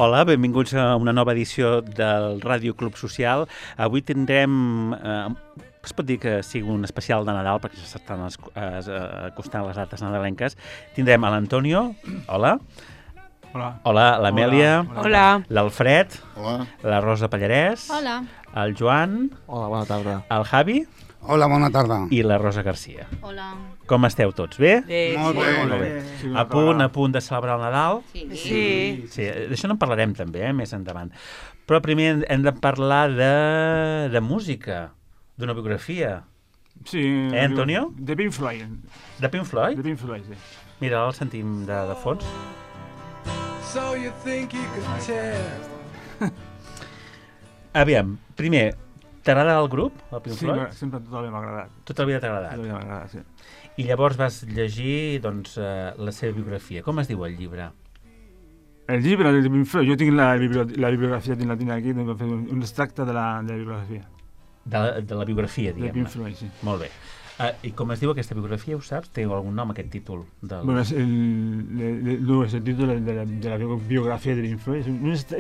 Hola, benvinguts a una nova edició del Ràdio Club Social. Avui tindrem, es pot dir que sigui un especial de Nadal, perquè s'estan acostant les dates nadalenques. Tindrem a l'Antonio, hola. Hola. Hola, l'Amèlia. Hola. L'Alfred. Hola. La Rosa Pallarès. Hola. El Joan. Hola, bona tarda. El Javi. Hola, bona tarda. I la Rosa Garcia. Hola. Com esteu tots? Bé? Molt bé. Molt bé. Sí, A punt de celebrar el Nadal? Sí. Sí, d'això no en parlarem també, més endavant. Però primer hem de parlar de música, d'una biografia. Sí. Antonio? De Pink Floyd. De Pink Floyd? De Pink Floyd, sí. Mira, el sentim de fons. So you think you could tell? Aviam, primer, t'agrada el grup, el Pink Sí, Floyd? sempre tot m'ha agradat. Tota la vida t'ha agradat. Tot m'ha agradat, sí. I llavors vas llegir, doncs, la seva biografia. Com es diu el llibre? El llibre de Pink Floyd, jo tinc la bibliografia, la tinc aquí, vam fer un extracte de la bibliografia. De la biografia, De Pink diguem-ne. Floyd, sí. Molt bé. I com es diu aquesta biografia, ho saps? Té algun nom, aquest títol? Bueno, és el títol de la biografia de Pink Floyd.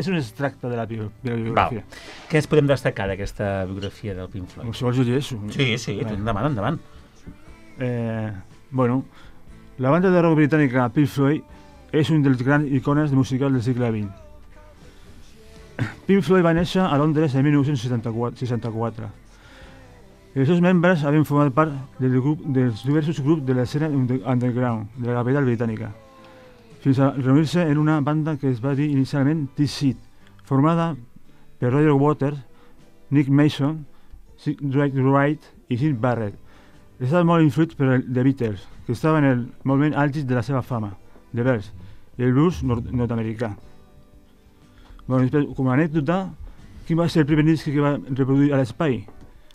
És un extracte de la biografia. Què ens podem destacar d'aquesta biografia del Pink Floyd? Si vols jo llegeixo. Sí, endavant, endavant. Bueno, la banda de rock britànica Pink Floyd és un dels grans icones musicals del segle XX. Pink Floyd va néixer a Londres en 1964. Els seus membres havien format part dels diversos grups de l'escena underground de la capital britànica, fins a reunir-se en una banda que es va dir inicialment T-Seed, formada per Roger Waters, Nick Mason, Sid Wright i Syd Barrett. Estava molt influït per The Beatles, que estava en el moment àlgid de la seva fama, The Bears, i el blues nord-americà. Bueno, com a anècdota, quin va ser el primer disc que va reproduir a l'espai?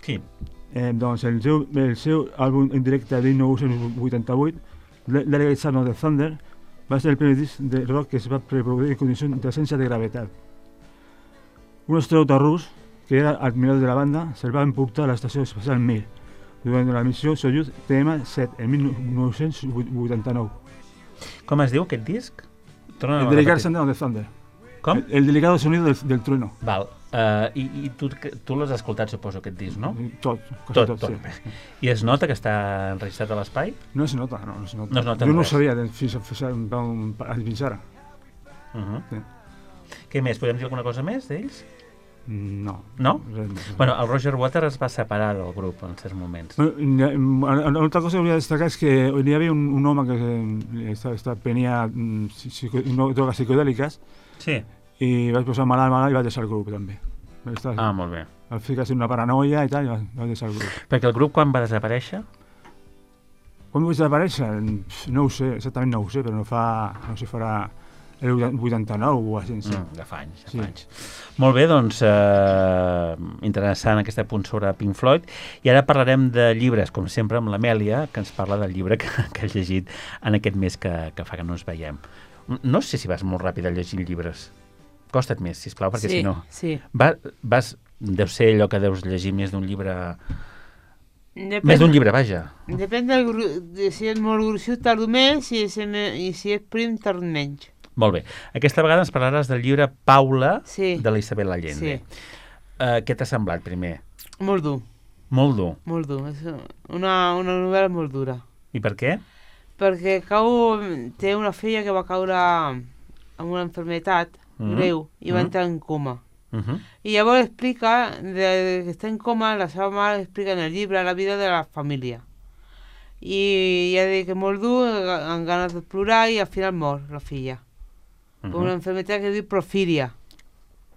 Qui? Doncs el seu àlbum en directe de 1988, Delegate Sound of the Thunder, va ser el primer disc de rock que es va reproduir en condicions d'absència de gravetat. Un astronauta rus, que era admirador de la banda, se'l va emportar a l'estació espacial Mir durant la missió Soyuz TM-7 en 1989. Com es diu aquest disc? El Delegate Sound of the Thunder. Com? El delicado sonido del trueno. Val. I tu l'has escoltat, suposo, aquest disc, no? Tot. Tot. I es nota que està enregistrat a l'espai? No es nota, no es nota. No es nota jo no ho res. sabia fins ara. Sí. Què més? Podem dir alguna cosa més d'ells? No. No? Res més. Bueno, el Roger Waters es va separar del grup en certs moments. Una altra cosa que volia destacar és que hi havia un home que prenia drogues psicodèliques Sí. i vaig posar malalt i vaig deixar el grup també. Molt bé. Al fi que ha sigut una paranoia i tal, i vaig deixar el grup. Perquè el grup quan va desaparèixer? Quan vaig desaparèixer? No ho sé, exactament no ho sé, però no sé, farà el 89 o així. Ja fa anys, Sí. Molt bé, doncs, interessant aquest punt sobre Pink Floyd. I ara parlarem de llibres, com sempre, amb l'Amèlia, que ens parla del llibre que has llegit en aquest mes que fa que no ens veiem. No sé si vas molt ràpid a llegir llibres. Costa't més, sisplau, perquè si no... Sí. Deu ser allò que deus llegir més d'un llibre... Més d'un llibre, vaja. Depèn de si és molt gruixut tardo més i si és prim tardo menys. Molt bé. Aquesta vegada ens parlaràs del llibre Paula, Sí. de la Isabel Allende. Sí. Què t'ha semblat, primer? Molt dur, Molt dur. molt dur. És una novel·la molt dura. I per què? Perquè té una filla que va caure amb una malaltia greu i va entrar en coma. I llavors explica, que està en coma, la seva mare explica en el llibre la vida de la família. I ja dic que és molt dur, amb ganes de plorar, i al final mor la filla. Per una malaltia que es diu porfíria.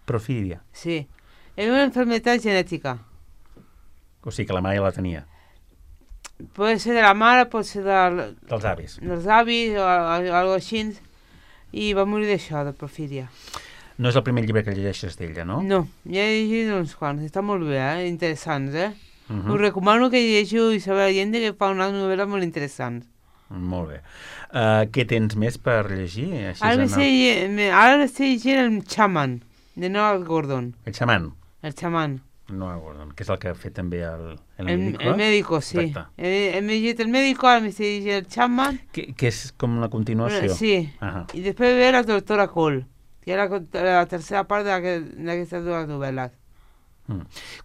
Porfíria. Sí. És una malaltia genètica. O sigui que la mare ja la tenia. Pot ser de la mare, pot ser Dels avis. dels avis o alguna així. I va morir d'això, de porfíria. No és el primer llibre que llegeixes d'ella, no? No, ja he llegit uns quants. Està molt bé, interessants, Us recomano que llegiu Isabel Allende, que fa unes novel·les molt interessants. Molt bé. Què tens més per llegir? Així Ara estic llegint el Xaman, de Noah Gordon. El xaman. El Xaman. Noah Gordon, que és el que ha fet també el El médico, sí. Exacte. Hem llegit el médico, ara m'estic llegint el Chapman. Que és com una continuació. Sí. Ahà. I després ve la doctora Cole. que era la tercera part d'aquestes dues novel·les.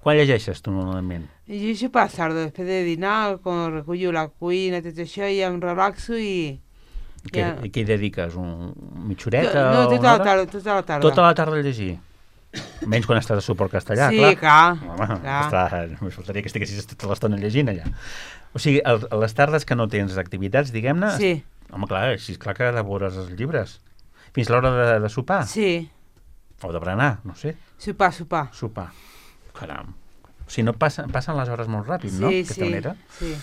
Quan llegeixes tu normalment? I llegeixo per la tarda, després de dinar, quan recullo la cuina, tot això, i em relaxo i... Què hi dediques? Mitja horeta? No, tota la tarda. Tota la tarda a llegir? Menys quan estàs a suport castellà, sí, clar. Home, només faltaria que estiguessis tota l'estona llegint allà. O sigui, a les tardes que no tens activitats, diguem-ne... Sí. Home, clar, així és clar que devores els llibres. Fins l'hora de sopar? Sí. O de berenar, no sé. Sopar. Caram. O sigui, no passen les hores molt ràpid, no? D'aquesta manera. Sí.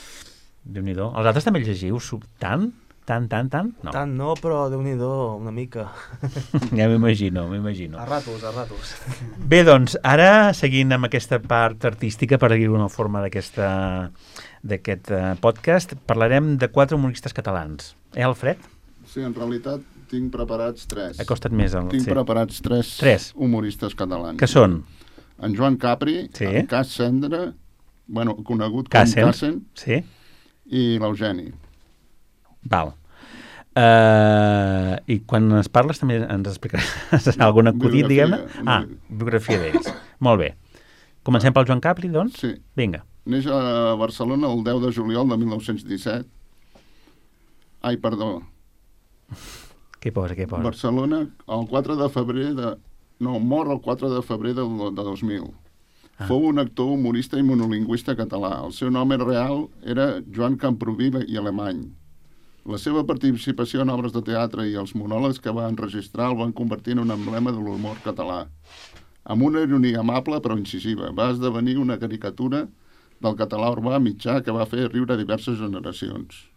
Déu-n'hi-do. Els altres també llegiu tant? Tant? No. Tant no, però Déu-n'hi-do, una mica. Ja m'imagino. A ratos. Bé, doncs, ara, seguint amb aquesta part artística, per dir-ho d'una forma d'aquest podcast, parlarem de 4 humoristes catalans. Alfred? Sí, en realitat tinc preparats 3. Acosta't més. Tinc preparats 3 humoristes catalans. Que són? En Joan Capri, en Cas Cendra, conegut com Cassen, i l'Eugeni. Val. I quan ens parles també ens explicaràs algun acudit, diguem-ne? Biografia d'ells. Molt bé. Comencem pel Joan Capri, doncs? Sí. Vinga. Neix a Barcelona el 10 de juliol de 1917. Ai, perdó. Què posa? Barcelona, el 4 de febrer mor el 4 de febrer de 2000. Fou un actor, humorista i monolingüista català. El seu nom real era Joan Camproví i Alemany. La seva participació en obres de teatre i els monòlegs que va enregistrar el van convertir en un emblema de l'humor català. Amb una ironia amable però incisiva, va esdevenir una caricatura del català urbà mitjà que va fer riure diverses generacions.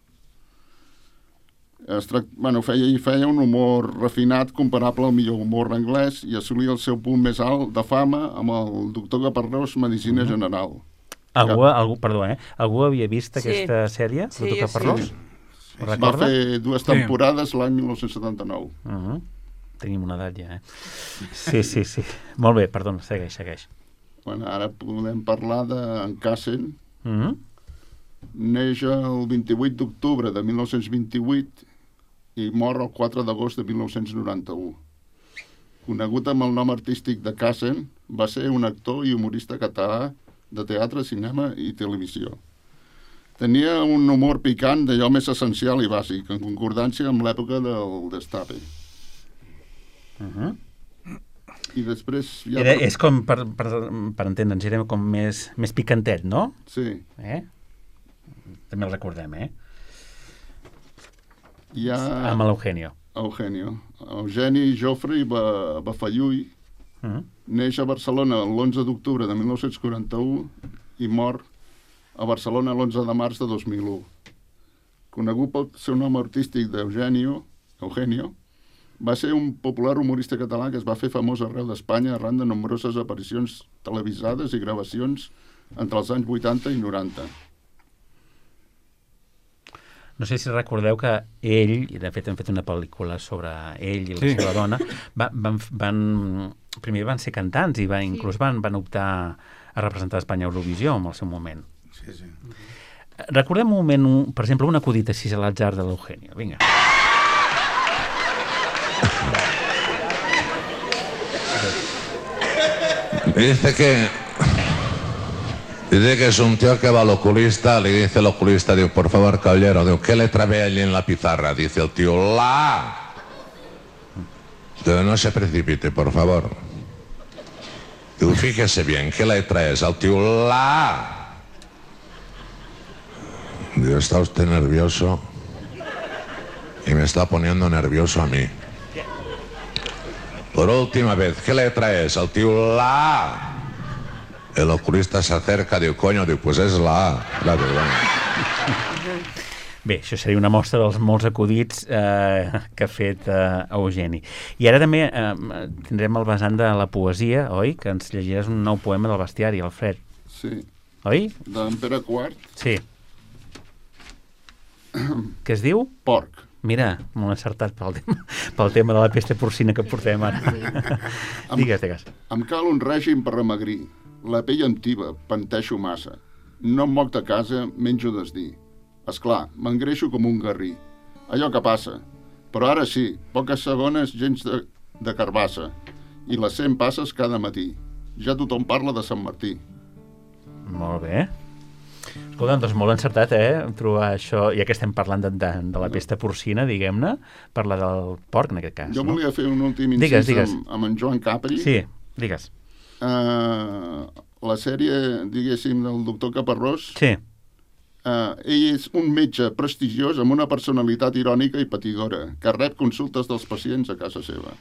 Feia un humor refinat comparable al millor humor anglès i assolia el seu punt més alt de fama amb el doctor Caparrós, Medicina General. Algú havia vist aquesta sèrie, el doctor Caparrós? Va fer 2 temporades l'any 1979. Tenim una edat ja, Sí. Molt bé, perdona, segueix. Ara podem parlar d'en Cassen. Neix el 28 d'octubre de 1928 i mor el 4 d'agost de 1991. Conegut amb el nom artístic de Cassen, va ser un actor i humorista català de teatre, cinema i televisió. Tenia un humor picant d'allò més essencial i bàsic, en concordància amb l'època del Destape. I després... És com, per entendre'ns, era com més picantet, no? Sí. També el recordem, Amb l'Eugenio. Eugeni Jofre i Bafalluy neix a Barcelona l'11 d'octubre de 1941 i mor a Barcelona l'11 de març de 2001. Conegut pel seu nom artístic d'Eugenio, va ser un popular humorista català que es va fer famós arreu d'Espanya arran de nombroses aparicions televisades i gravacions entre els anys 80 i 90. No sé si recordeu que ell, i de fet hem fet una pel·lícula sobre ell i la seva dona, primer van ser cantants i inclús van optar a representar Espanya a Eurovisió en el seu moment. Sí. Recordem un moment, per exemple, un acudit així a l'atzar de l'Eugenio. Vinga. Dice que es un tío que va al oculista, le dice el oculista, digo, por favor, caballero, digo, ¿qué letra ve allí en la pizarra? Dice el tío, la. Digo, no se precipite, por favor. Digo, fíjese bien, ¿qué letra es? El tío, la. Digo, ¿está usted nervioso? Y me está poniendo nervioso a mí. Por última vez, ¿qué letra es? El tío, la. El oculista s'acerca, diu, coño, diu, pues és la A. Bé, això seria una mostra dels molts acudits que ha fet Eugeni. I ara també tindrem el vessant de la poesia, oi? Que ens llegiràs un nou poema del bestiari, Alfred. Sí. Oi? D'en Pere IV. Sí. Què es diu? Porc. Mira, molt encertat pel tema de la pesta porcina que portem ara. Digues. Em cal un règim per remagrir. La pell em tiba, penteixo massa. No em moc de casa, menjo desdir. Esclar, m'engreixo com un garrí. Allò que passa. Però ara sí, poques segones, gens de carbassa i les 100 passes cada matí. Ja tothom parla de Sant Martí. Molt bé. Escolta, doncs molt encertat, trobar això, ja que estem parlant de la pesta porcina, diguem-ne, parlar del porc, en aquest cas. Jo volia fer un últim incís amb en Joan Capri. Sí, digues. La sèrie, diguéssim, del doctor Caparrós, sí. Ell és un metge prestigiós amb una personalitat irònica i patidora, que rep consultes dels pacients a casa seva.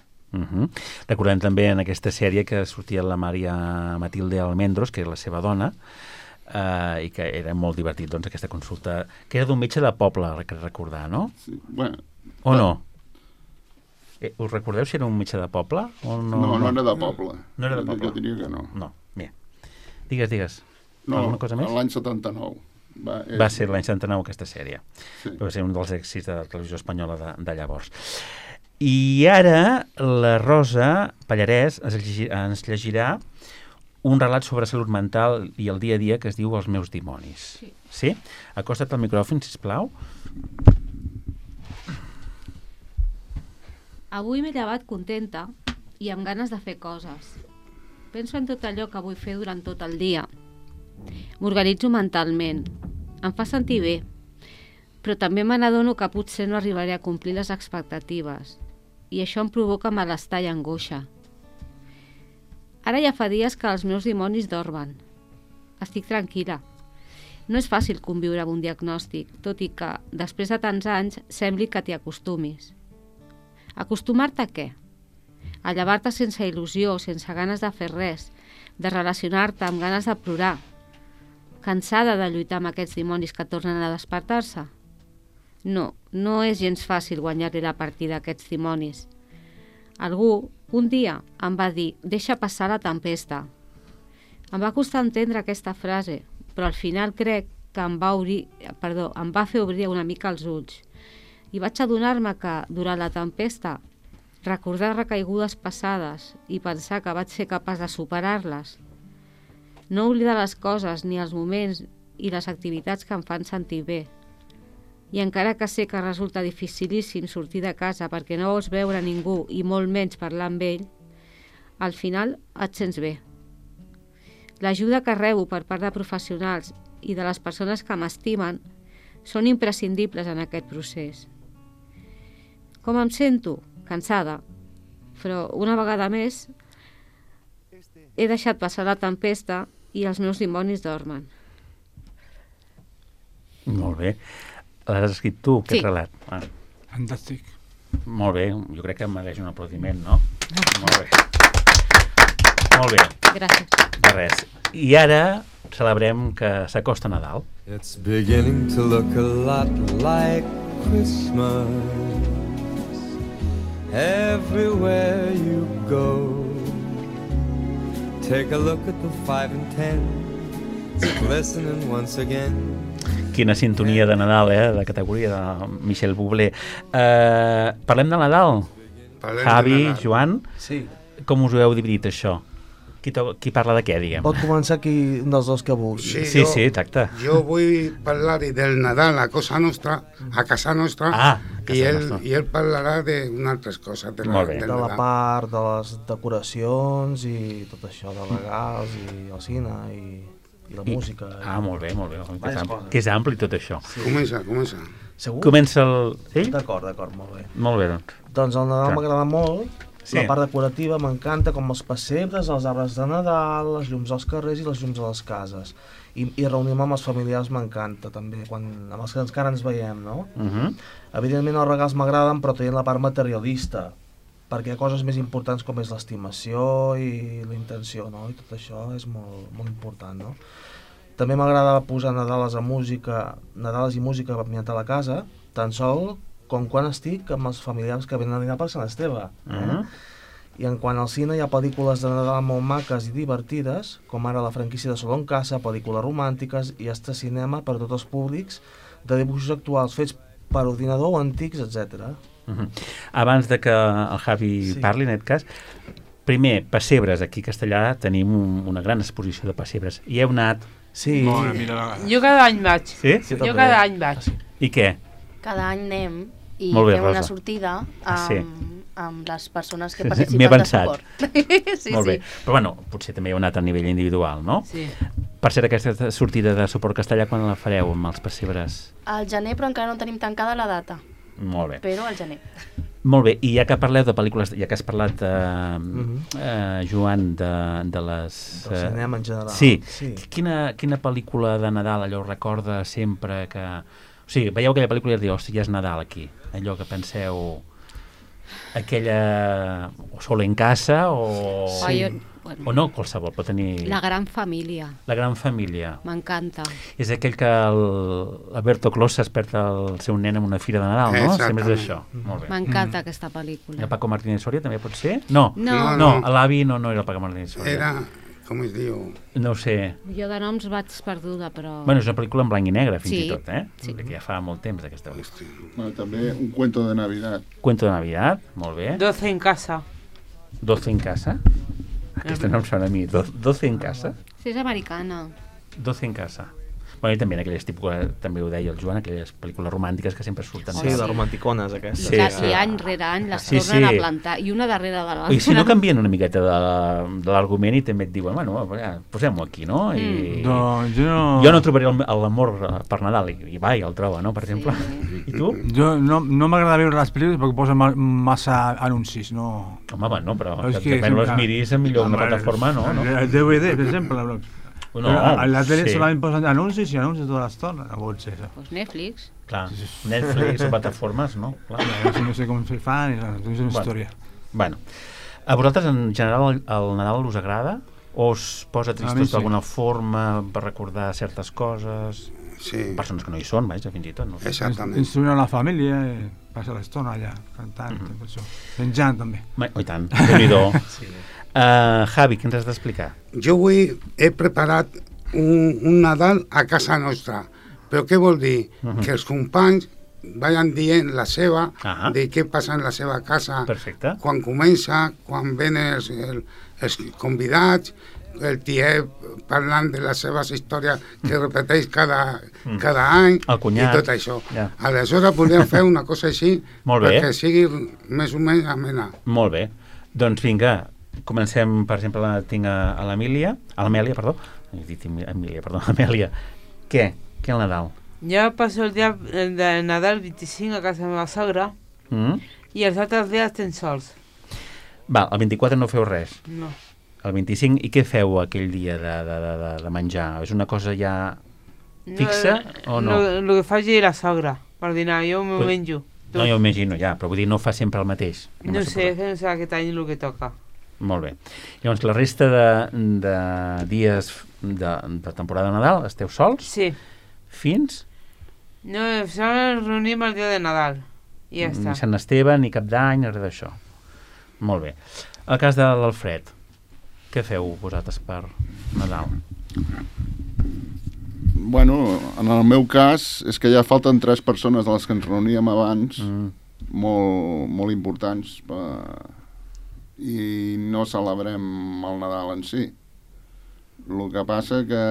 Recordem també en aquesta sèrie que sortia la Maria Matilde Almendros, que és la seva dona, i que era molt divertit, doncs, aquesta consulta, que era d'un metge de poble, que recordar, no? Sí, bueno... O no? Us recordeu si era un metge de poble? O no? No era de poble. No era de poble? Jo diria que no. No, bé. Digues. No, alguna cosa més? L'any 79. Va ser l'any 79 aquesta sèrie. Sí. Va ser un dels èxits de la televisió espanyola de llavors. I ara la Rosa Pallarès ens llegirà un relat sobre salut mental i el dia a dia que es diu Els meus dimonis. Sí? Acosta't al micròfon, sisplau. Avui m'he llevat contenta i amb ganes de fer coses. Penso en tot allò que vull fer durant tot el dia. M'organitzo mentalment. Em fa sentir bé. Però també me n'adono que potser no arribaré a complir les expectatives. I això em provoca malestar i angoixa. Ara ja fa dies que els meus dimonis dormen. Estic tranquil·la. No és fàcil conviure amb un diagnòstic, tot i que, després de tants anys, sembli que t'hi acostumis. Acostumar-te a què? A llevar-te sense il·lusió, sense ganes de fer res, de relacionar-te amb ganes de plorar, cansada de lluitar amb aquests dimonis que tornen a despertar-se? No, no és gens fàcil guanyar-li la partida a aquests dimonis. Algú, un dia, em va dir, deixa passar la tempesta. Em va costar entendre aquesta frase, però al final crec que em va fer obrir una mica els ulls. I vaig adonar-me que, durant la tempesta, recordar recaigudes passades i pensar que vaig ser capaç de superar-les, no oblidar les coses ni els moments i les activitats que em fan sentir bé. I encara que sé que resulta dificilíssim sortir de casa perquè no vols veure ningú i molt menys parlar amb ell, al final et sents bé. L'ajuda que rebo per part de professionals i de les persones que m'estimen són imprescindibles en aquest procés. Com em sento? Cansada. Però una vegada més he deixat passar la tempesta i els meus dimonis dormen. Molt bé. L'has escrit tu, aquest relat? Fantàstic. Molt bé, jo crec que mereix un aplaudiment, no? Molt bé. Molt bé. Gràcies. De res. I ara celebrem que s'acosta Nadal. It's beginning to look a lot like Christmas everywhere you go. Take a look at the 5 and 10 glistening once again. Quina sintonia de Nadal, de categoria de Michel Bublé. Parlem de Nadal? Javi, Joan, sí. Com us ho heu dividit, això? Qui parla de què, diguem? Pot començar qui un dels dos que vulgui. Sí, exacte. Jo vull parlar del Nadal a casa nostra, i ell parlarà d'altres coses. De la part de les decoracions i tot això, de regals i el cine i la música. Molt bé. Que és ampli tot això. Sí. Comença. Segur? Comença ell? D'acord, molt bé. Molt bé, doncs. Doncs el Nadal m'agrada molt. Sí. La part decorativa m'encanta, com els pessebres, els arbres de Nadal, les llums als carrers i les llums a les cases. I reunir-me amb els familiars m'encanta, també, amb els que encara ens veiem, no? Evidentment els regals m'agraden, però tenint la part materialista, perquè hi ha coses més importants com és l'estimació i la intenció, no? I tot això és molt, molt important, no? També m'agrada posar Nadales i música ambiental a casa, tan sol com quan estic amb els familiars que venen a dinar per Sant Esteve. I en quant al cine hi ha pel·lícules de Nadal molt maques i divertides, com ara la franquícia de Solo en Casa, pel·lícules romàntiques i hasta cinema per a tots els públics, de dibuixos actuals fets per ordinador o antics, etc. Abans de que el Javi parli, en aquest cas, primer, pessebres. Aquí a Castellà tenim una gran exposició de pessebres. Hi heu anat? Sí. Jo cada any vaig. Sí? Jo cada any vaig. I què? Cada any anem i bé, fem Rosa. una sortida amb les persones que M'he participen de avançat. suport. Sí, Molt bé. sí. Però bueno, potser també heu anat a nivell individual, no? Sí. Per cert, aquesta sortida de suport castellà, quan la fareu amb els pessebres? Al gener, però encara no tenim tancada la data. Molt bé. Però al gener. Molt bé, i ja que parleu de pel·lícules, ja que has parlat, Joan, de les... Del cinema en general. Sí. Sí. Quina pel·lícula de Nadal allò recorda sempre que... O sigui, veieu aquella pel·lícula i diu, hòstia, ja és Nadal aquí. Allò que penseu... Aquella... O Solo en casa, o... Sí. O no, qualsevol, pot tenir... La gran família. La gran família. M'encanta. És aquell que l'Alberto Clos s'esperta el seu nen en una fira de Nadal, no? Sempre és això. Molt bé. M'encanta aquesta pel·lícula. El Paco Martínez Soria també pot ser? No, No. l'avi no era el Paco Martínez Soria. Era, com es diu? No ho sé. Jo de noms vaig perduda, però... Bueno, és una pel·lícula en blanc i negre, fins Sí, i tot, eh? sí. Perquè ja fa molt temps d'aquesta pel·lícula. Bueno, també un cuento de Navidad. Cuento de Navidad, molt bé. 12 en casa. 12 en casa? Aquesta no em sona a mi. 12 en casa? Sí, és americana. 12 en casa. Bueno, i també en aquelles tipus, també ho deia el Joan, aquelles pel·lícules romàntiques que sempre surten. Sí, de romanticones, aquestes. Sí, I any rere any les tornen a plantar, i una darrere de l'altra. I si no canvien una miqueta de l'argument i també et diuen, bueno, ja, posem-ho aquí, no? I... Doncs Jo no trobaré l'amor per Nadal, i va, i el troba, no?, per exemple. I tu? Jo no m'agrada veure les pel·lícules perquè posen massa anuncis, no... Home, bueno, però És que depèn les sempre- miris millor una plataforma, no? El DVD, per exemple. No, a la tele sí. solament posen anuncis i anuncis tota l'estona. No pot ser això. Pues Netflix. Clar, Netflix o plataformes, no? Clar. No sé com se fan, és una història. Bueno, a vosaltres en general el Nadal us agrada? O us posa tristos d'alguna forma per recordar certes coses? Sí. Persones que no hi són, vaja, fins i tot. No? Exactament. Instruir a la família, passar l'estona allà, cantant, tot això. Menjant, també. Oh, i tant, déu-n'hi-do. Sí. Javi, què ens has d'explicar? Jo avui he preparat un Nadal a casa nostra. Però què vol dir? Que els companys vayan dient la seva, de què passa en la seva casa. Perfecte. Quan comença, quan venen els convidats, el tiet parlant de les seves històries que repeteix cada any, el cunyat, i tot això. Ja. Aleshores podríem fer una cosa així perquè sigui més o menys amena. Molt bé. Doncs vinga, comencem, per exemple, tinc a l'Amèlia, he dit Amèlia, perdó, Amèlia. Què al Nadal? Jo passo el dia de Nadal 25 a casa meva sogra i els altres dies tens sols. Va, el 24 no feu res? No. El 25, i què feu aquell dia de menjar? És una cosa ja fixa o no? El que faci la sogra per dinar, jo m'ho menjo. No, jo ho imagino ja, però vull dir, no fa sempre el mateix. No sé aquest any el que toca. Molt bé. Llavors, la resta de dies de temporada de Nadal esteu sols? Sí. Fins? No, ens reunim el dia de Nadal i ja està. Ni Sant Esteve, ni Cap d'Any, res d'això. Molt bé. El cas de l'Alfred, què feu vosaltres per Nadal? Bueno, en el meu cas és que ja falten 3 persones de les que ens reuníem abans, molt importants, i no celebrem el Nadal en si. El que passa que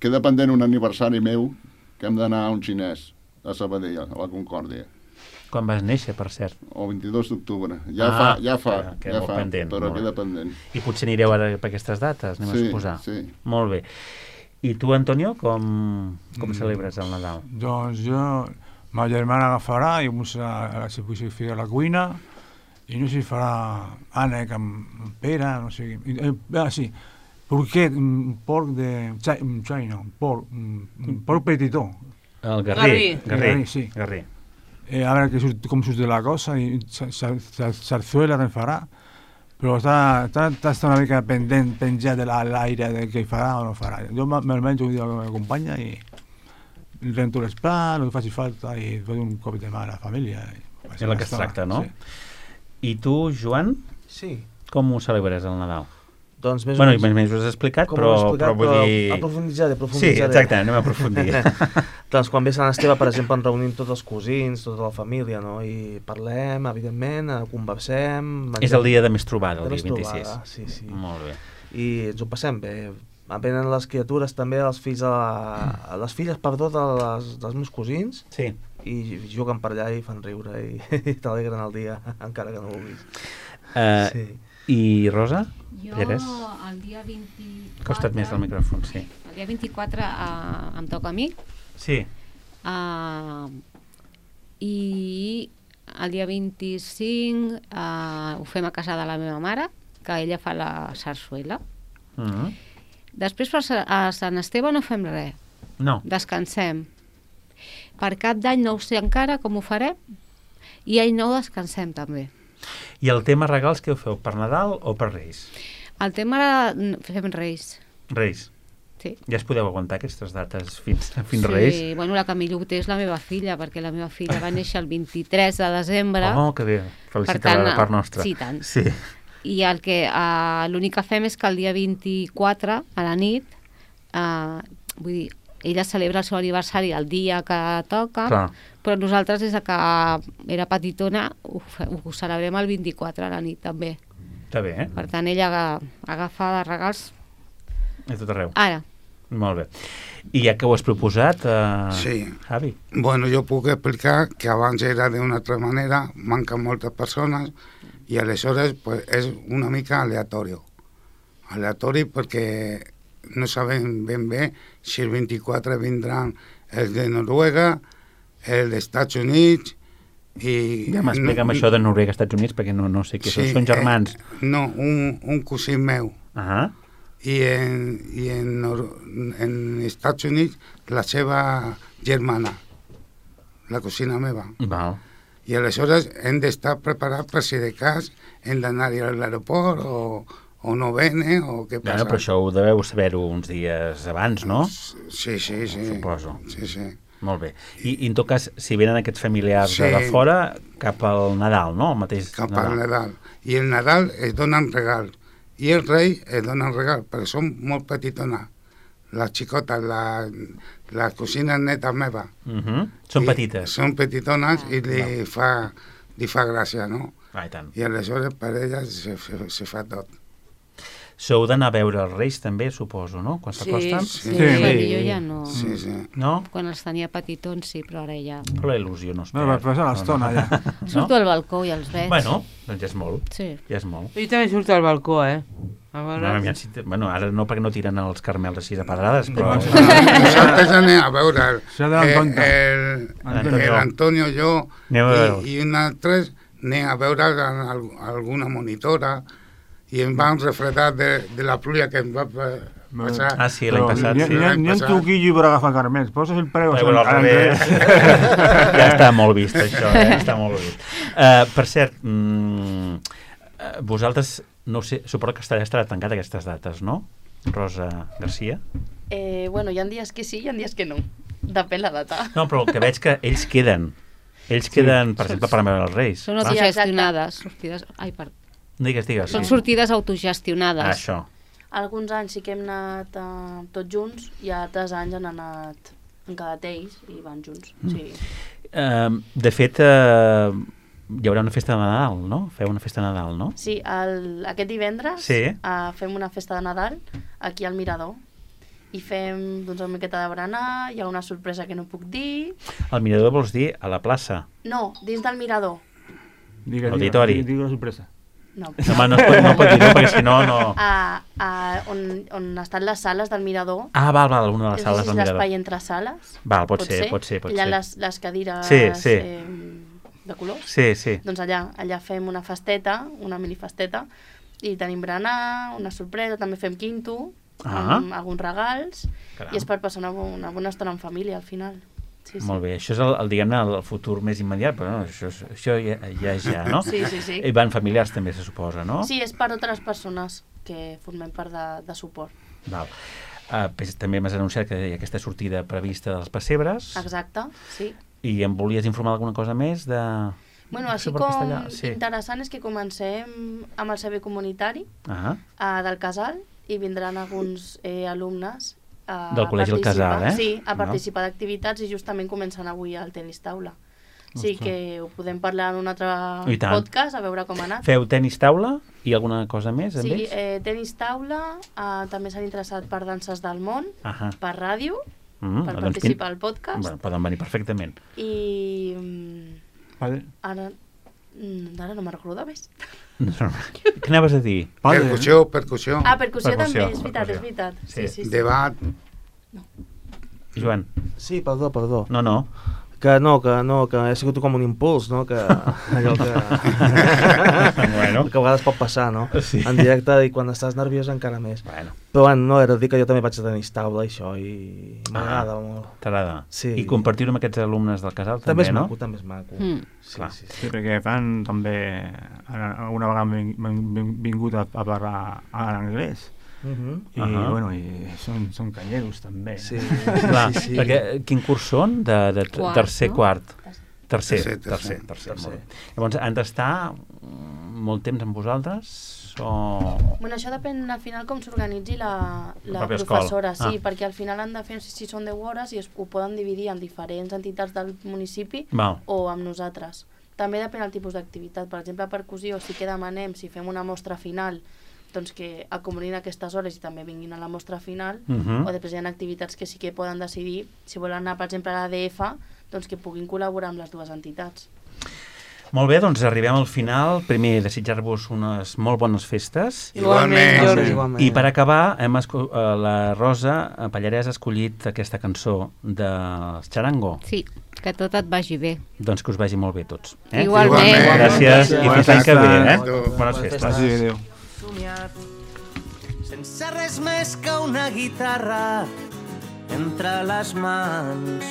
queda pendent un aniversari meu que hem d'anar a un xinès a Sabadell, a la Concòrdia. Quan vas néixer, per cert? El 22 d'octubre. Ja fa, pendent, però queda pendent. I potser anireu ara per aquestes dates, anem a suposar. Sí. Molt bé. I tu, Antonio, com celebres el Nadal? Doncs jo, ma germana agafarà i se fica a la cuina i no sé si farà ànec amb pera, no sé... sí, porquet, porc de... porc petitó. El garrí. Garrí, sí. Garrí. A veure com surt de la cosa, i sarzuela te'n farà, però està una mica penjat de l'aire de què farà o no farà. Jo me'l menjo un dia que m'acompanya i rento les plats, el que faci falta, i faig un cop de mà a la família. És el que es tracta, no? Sí. I tu, Joan? Sí. Com ho celebres el Nadal? Doncs més o menys ho has explicat, però vull dir... Aprofunditzaré. Sí, exacte, anem a aprofundir. Doncs quan ve Sant Esteve, per exemple, ens reunim tots els cosins, tota la família, no? I parlem, evidentment, conversem... És el dia de més trobada, el dia 26. Sí. Molt bé. I ens ho passem bé. Venen les criatures també, les filles, dels meus cosins. Sí. i juguen per allà i fan riure i t'alegren el dia, encara que no ho vulguis. Sí. I Rosa? Jo Eres? el dia 24... Costa't més el micròfon, sí. El dia 24 em toca a mi. Sí. I el dia 25 ho fem a casa de la meva mare, que ella fa la sarsuela. Després a Sant Esteve no fem res. No. Descansem. Per Cap d'Any no ho sé encara com ho farem, i Any Nou descansem també. I el tema regals què ho feu? Per Nadal o per Reis? El tema fem Reis. Reis. Sí. Ja es podeu aguantar aquestes dates fins Reis? Sí, bueno, la que millor ho té és la meva filla, perquè la meva filla va néixer el 23 de desembre. Oh, que bé. Felicita la part nostra. Sí, tant. Sí. I l'únic que fem és que el dia 24, a la nit, vull dir, ella celebra el seu aniversari el dia que toca, clar, però nosaltres, des que era petitona, ho celebrem el 24 a la nit, també. Està bé, eh? Per tant, ella agafa regals a tot arreu. Ara. Molt bé. I ja que ho has proposat, sí. Javi? Bueno, jo puc explicar que abans era d'una altra manera, manquen moltes persones, i aleshores pues, és una mica aleatori. Aleatori perquè no sabem ben bé si el 24 vindran els de Noruega, els dels Estats Units i... Ja m'explica'm això de Noruega, Estats Units, perquè no sé què són. Són germans? No, un cosí meu. I en Estats Units la seva germana, la cosina meva. Val. I aleshores hem d'estar preparats per si de cas hem d'anar-hi a l'aeroport o no vene o què passa. Però això ho deveu saber-ho uns dies abans, no? Sí. Suposo. Sí. Molt bé. I en tot cas, si venen aquests familiars de fora, cap al Nadal, no? El mateix cap al Nadal. I el Nadal es donen regal. I el rei es donen regal, perquè són molt petitones. Les xicotes, la cosina neta meva. Són petites. Són petitones i li fa gràcia, no? I tant. I aleshores per elles se fa tot. Sou d'anar a veure els Reis també, suposo, no? Quan s'acosten? Sí. Jo ja no. Sí. No? Quan els tenia petitons, sí, però ara ja... Però la il·lusió no es perd. No, però és a l'estona, ja. Surto al balcó i els veig. Bueno, doncs ja és molt. Sí. Ja és molt. Jo també surto al balcó, A veure... Bueno, ara no perquè no tiren els carmels així de pedrades, però... Nosaltres anem a veure l'Antonio, jo i un altre anem a veure alguna monitora i em van refredar de la pluja que em va passar. Ah, sí, l'any passat. Ni en truquillo per agafar carmels, poses el preu... Al revés. Ja està molt vist, això, està molt vist. Per cert, vosaltres, no sé, suposo que estarà tancat aquestes dates, no? Rosa Garcia? Bueno, hi ha dies que sí i hi ha dies que no. Depèn la data. No, però el que veig que ells queden. Ells queden, per exemple, per veure els Reis. Són autogestionades. Ai, perdó. Digues. Són sortides autogestionades. Això. Alguns anys sí que hem anat tots junts i altres anys han anat en cada ells i van junts. Sí. De fet, hi haurà una festa de Nadal, no? Feu una festa de Nadal, no? Sí, aquest divendres fem una festa de Nadal aquí al Mirador i fem una miqueta de berenar, hi ha una sorpresa que no puc dir. Al Mirador vols dir a la plaça? No, dins del Mirador. Auditori. Digue la sorpresa. No. Home, no pot dir, perquè si no... On estan les sales del Mirador. Ah, val, una de les sales del Mirador. És l'espai entre sales. Val, pot ser. Hi ha les cadires de colors. Sí. Doncs allà fem una festeta, una minifesteta, i tenim berenar, una sorpresa, també fem quinto, amb alguns regals, i és per passar una bona estona en família, al final. Sí. Molt bé, això és diguem-ne, el futur més immediat, però no, això ja és ja, no? Sí. I van familiars també, se suposa, no? Sí, és per altres persones que formem part de suport. Val. També m'has anunciat que hi ha aquesta sortida prevista dels pessebres. Exacte, sí. I em volies informar alguna cosa més de... Bueno, així com interessant és que comencem amb el servei comunitari del casal i vindran alguns alumnes del Col·legi El Casal, Sí, a participar d'activitats i justament començant avui el tenis taula. Sí, que ho podem parlar en un altre podcast, a veure com ha anat. Feu tenis taula i alguna cosa més amb ells? Sí, tenis taula, també s'han interessat per danses del món, per ràdio per participar al podcast. Bueno, poden venir perfectament. I Vale. ara no me'n recordo més. Què anaves a dir? Percussió. Percussió també, és veritat. Sí. Debat. Joan. Sí, perdó. No. Que ha sigut com un impuls, no? Que allò que... Bueno. Que a vegades pot passar, no? Sí. En directe, i quan estàs nerviós encara més. Bueno. Però bueno, no, era dir que jo també vaig tenir taula, això, i m'agrada molt. T'agrada? Sí. I compartir-ho amb aquests alumnes del casal, també, no? També és maco. Sí, perquè fan també... Una vegada m'han vingut a parlar en anglès. I, bueno, i són canyeros també. Sí. Clar, perquè quin curs són? De tercer, quart? Tercer. Llavors, han d'estar molt temps amb vosaltres? Bueno, això depèn al final com s'organitzi la professora, sí, perquè al final han de fer, si són 10 hores, i ho poden dividir en diferents entitats del municipi o amb nosaltres. També depèn del tipus d'activitat. Per exemple, a percussió sí que demanem, si fem una mostra final, doncs que acomonin aquestes hores i també vinguin a la mostra final, o després hi ha activitats que sí que poden decidir, si volen anar, per exemple, a l'ADF, doncs que puguin col·laborar amb les dues entitats. Molt bé, doncs arribem al final. Primer, desitjar-vos unes molt bones festes. Igualment. I per acabar, la Rosa Pallarès ha escollit aquesta cançó dels Charango. Sí, que tot et vagi bé. Doncs que us vagi molt bé tots. Igualment. Gràcies i fins l'any que ve. Bones festes. Adéu. Sense res més que una guitarra entre les mans,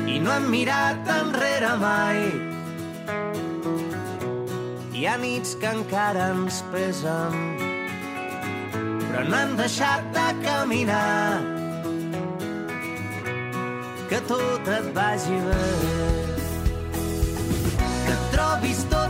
i no hem mirat enrere mai. Hi ha nits que encara ens pesen, però no hem deixat de caminar. Que tot et vagi bé, que et trobis tot